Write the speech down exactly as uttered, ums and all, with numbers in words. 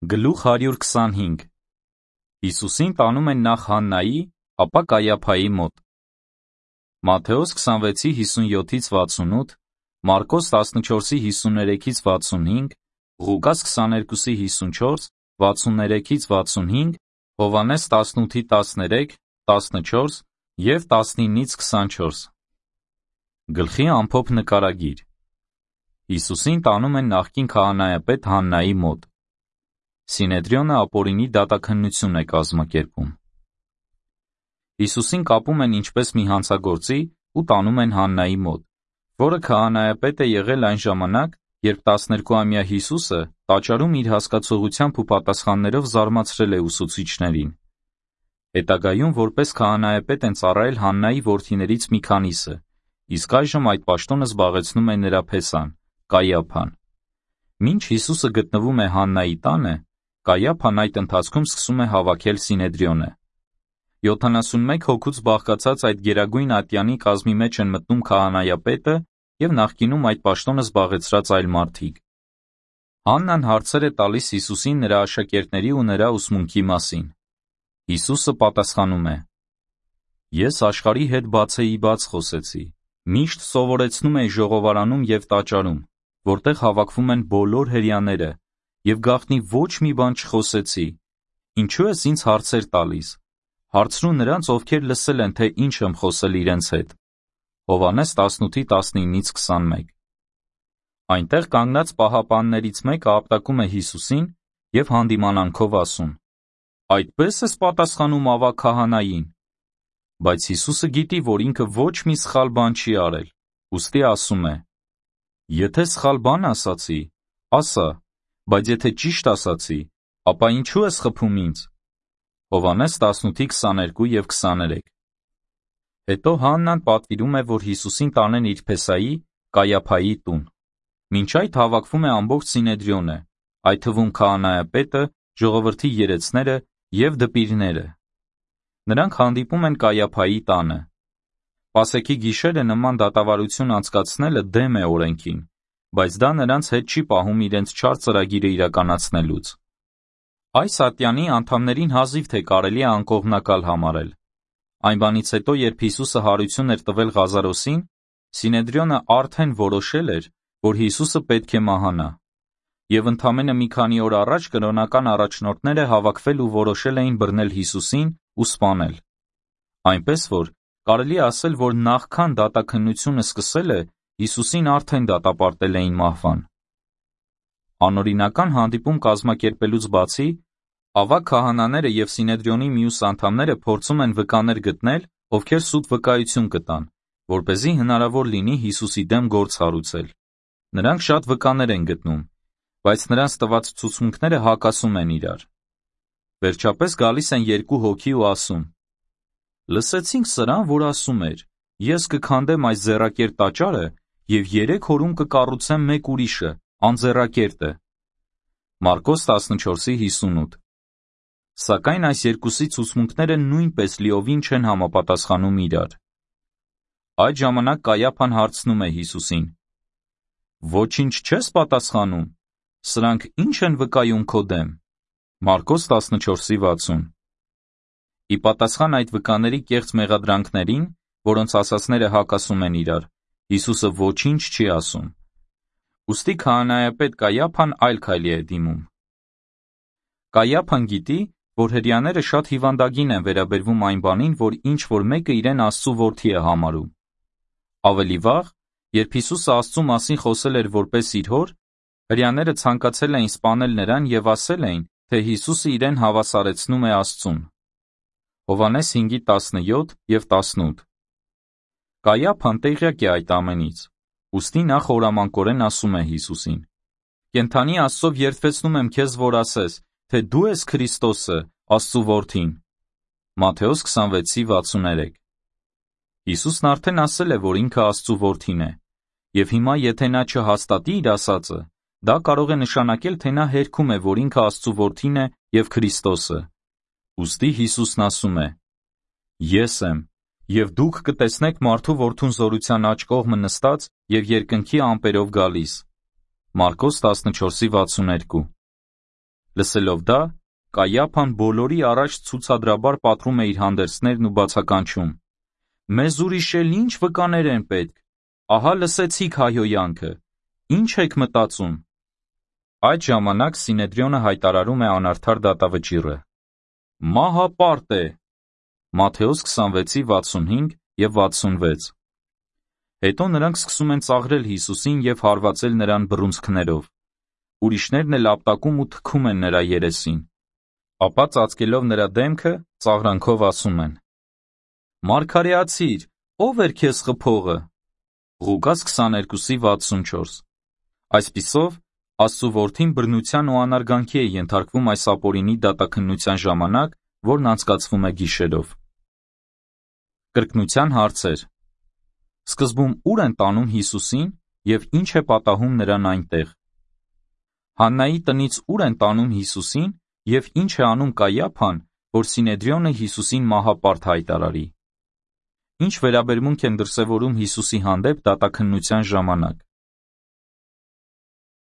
Գլուխ հարյուր քսանհինգ Հիսուսին տանում են նախ Հաննայի, ապա Կայափայի մոտ։ Մատթեոս քսանվեցի հիսունյոթից վաթսունութ, Մարկոս տասնչորսի հիսուներեքից վաթսունհինգ, Ղուկաս քսաներկուսի հիսունչորս, վաթսուններեքից վաթսունհինգ, Հովհաննես տասնութի տասներեք, տասնչորս և տասնինից քսանչորս։ Գլխի ամփոփ նկարագիր։ Հիսուսին տանում են նախկին քահանայապետ Հաննայի մոտ։ Սինեդրիոնը ապօրինի դատաքննություն է կազմակերպում։ Հիսուսին կապում են ինչպես մի հանցագործի ու տանում են Հաննայի մոտ, որը քահանայապետ է եղել այն ժամանակ, երբ տասներկուամյա Հիսուսը տաճարում իր հասկացողությամբ ու պատասխաններով զարմացրել է ուսուցիչներին։ Հետագայում որպես քահանայապետ են ծառայել Հաննայի որդիներից մի քանիսը, իսկ այժմ այդ պաշտոնը զբաղեցնում է նրա փեսան՝ Կայափան։ Մինչ Հիսուսը գտնվում է Հաննայի տանը, Կայափան այդ ընթացքում սկսում է հավաքել Սինեդրիոնը։ յոթանասունմեկ հոգուց բաղկացած այդ գերագույն ատյանի կազմի մեջ են մտնում քահանայապետը և նախկինում այդ պաշտոնը զբաղեցրած այլ մարդիկ։ Հաննան հարցեր է տալիս Հիսուսին նրա աշակերտների ու նրա ուսմունքի մասին։ Հիսուսը պատասխանում է. «Ես աշխարհի հետ բացեի բաց խոսեցի, միշտ սովորեցնում էի ժողովարանում և տաճարում, որտեղ հավաքվում են բոլոր հրեաները, և գաղտնի ոչ մի բան չխոսեցի։ Ինչու ես ինձ հարցեր տալիս։ Հարցրու նրանց, ովքեր լսել են, թե ինչ եմ խոսել իրենց հետ»։ Հովհաննես տասնութի տասնինից քսանմեկ։ Այնտեղ կանգնած պահապաններից մեկը ապտակում է Հիսուսին և հանդիմանանքով ասում. «Այդպե՞ս ես պատասխանում ավագ քահանային»։ Բայց Հիսուսը գիտի, որ ինքը ոչ մի սխալ բան չի արել, ուստի ասում է. «Եթե սխալ բան ասացի, ասա, բայց եթե ճիշտ ասացի, ապա ինչու ես խփում ինձ»։ Հովհաննես տասնութի քսաներկու և քսաներեք։ Հետո Հաննան պատվիրում է, որ Հիսուսին տանեն իր փեսայի՝ Կայափայի տուն։ Մինչ այդ հավաքվում է ամբողջ Սինեդրիոնը, այդ թվում քահանայապետը, ժողովրդի երեցները և դպիրները։ Նրանք հանդիպում են Կայափայի տանը։ Պասեքի գիշերը նման դատավարություն անցկացնելը դեմ է օրենքին, բայց դա նրանց հետ չի պահում իրենց չար ծրագիրը իրականացնելուց։ Այս ատյանի անդամներին հազիվ թե կարելի է անկողմնակալ համարել։ Այն բանից հետո, երբ Հիսուսը հարություն էր տվել Ղազարոսին, Սինեդրիոնը արդեն որոշել էր, որ Հիսուսը պետք է մահանա։ Եվ ընդամենը մի քանի օր առաջ կրոնական առաջնորդները հավաքվել ու որոշել էին բռնել Հիսուսին ու սպանել։ Այնպես որ, կարելի է ասել, որ նախքան դատաքննությունը սկսելը, Հիսուսին արդեն դատապարտել էին մահվան։ Անօրինական հանդիպում կազմակերպելուց բացի, ավագ քահանաները և Սինեդրիոնի մյուս անդամները փորձում են վկաներ գտնել, ովքեր սուտ վկայություն կտան, որպեսզի հնարավոր լինի Հիսուսի դեմ գործ հարուցել։ Նրանք շատ վկաներ են գտնում, բայց նրանց տված ցուցմունքները հակասում են իրար։ Վերջապես գալիս են երկու հոգի ու ասում. «Լսեցինք սրան, որ ասում էր. ես կքանդեմ այս ձեռակերտ տաճարը և երեք օրում կկառուցեմ մեկ ուրիշը, անձեռակերտը»։ Մարկոս տասնչորսի հիսունութ։ Սակայն այս երկուսի ցուցմունքները նույնպես լիովին չեն համապատասխանում իրար։ Այդ ժամանակ Կայափան հարցնում է Հիսուսին. «Ոչինչ չես պատասխանում, սրանք ի՞նչ են վկայում քո դեմ»։ Մարկոս տասնչորսի վաթսուն։ Ի պատասխան այդ վկաների կեղծ մեղադրանքներին, որոնց ասածները հակասում են իրար, Հիսուսը ոչինչ չի ասում։ Ուստի քահանայապետ Կայափան այլ քայլի է դիմում։ Կայափան գիտի, որ հրեաները շատ հիվանդագին են վերաբերվում այն բանին, որ ինչ-որ մեկը իրեն Աստծու որդի է համարում։ Ավելի վաղ, երբ Հիսուսը Աստծու մասին խոսել էր որպես իր հոր, հրեաները ցանկացել էին սպանել նրան և ասել էին, թե Հիսուսը իրեն հավասարեցնում է Աստծուն։ Հովհաննես հինգի տասնյոթ և տասնութ։ Կայափան տեղյակ է այդ ամենից, ուստի նա խորամանկորեն ասում է Հիսուսին. «Կենդանի Աստծով երդվեցնում եմ քեզ, որ ասես, թե դու ես Քրիստոսը, Աստծու որդին»։ Մատթեոս քսանվեցի վաթսուներեք։ Հիսուսն արդեն ասել է, որ ինքը Աստծու որդին է, և հիմա եթե նա չհաստատի իր ասածը, դա կարող է նշանակել, թե նա հերքում է, որ ինքը Աստծու որդին է և Քրիստոսը։ Ուստի Հիսուսն ասում է. «Ես եմ, և դուք կտեսնեք մարդու որդուն զորության աջ կողմը նստած և երկնքի ամպերով գալիս»։ Մարկոս տասնչորսի վաթսուներկու։ Լսելով դա, Կայափան բոլորի առաջ ցուցադրաբար պատռում է իր հանդերձներն ու բացականչում. «Մեզ ուրիշ էլ ինչ վկաներ են պետք, ահա լսեցիք հայհոյանքը, ինչ եք մտածում»։ Այդ ժամանակ Սինեդրիոնը հայտարարում է անարդար դատավճիռը. «Մահապարտ է»։ Մատթեոս քսանվեցի վաթսունհինգ և վաթսունվեց։ Հետո նրանք սկսում են ծաղրել Հիսուսին և հարվածել նրան բռունցքներով։ Ուրիշներն էլ ապտակում ու թքում են նրա երեսին։ Ապա ծածկելով նրա դեմքը, ծաղրանքով ասում են. «Մարգարեացի՛ր, ո՞վ էր քեզ խփողը»։ Ղուկաս քսաներկուսի վաթսունչորս։ Այսպիսով, Աստծու որդին բռնության ու անարգանքի է ենթարկվում այս ապօրինի դատաքննության ժամանակ, որն անցկացվում է գիշերով։ Կրկնության հարցեր. Սկզբում ո՞ւր են տանում Հիսուսին և ինչ է պատահում նրան այնտեղ։ Հաննայի տնից ո՞ւր են տանում Հիսուսին և ինչ է անում Կայափան, որ Սինեդրիոնը Հիսուսին մահապարտ հայտարարի։ Ինչ վերաբերմունք են դրսևորում Հիսուսի հանդեպ դատաքննության ժամանակ։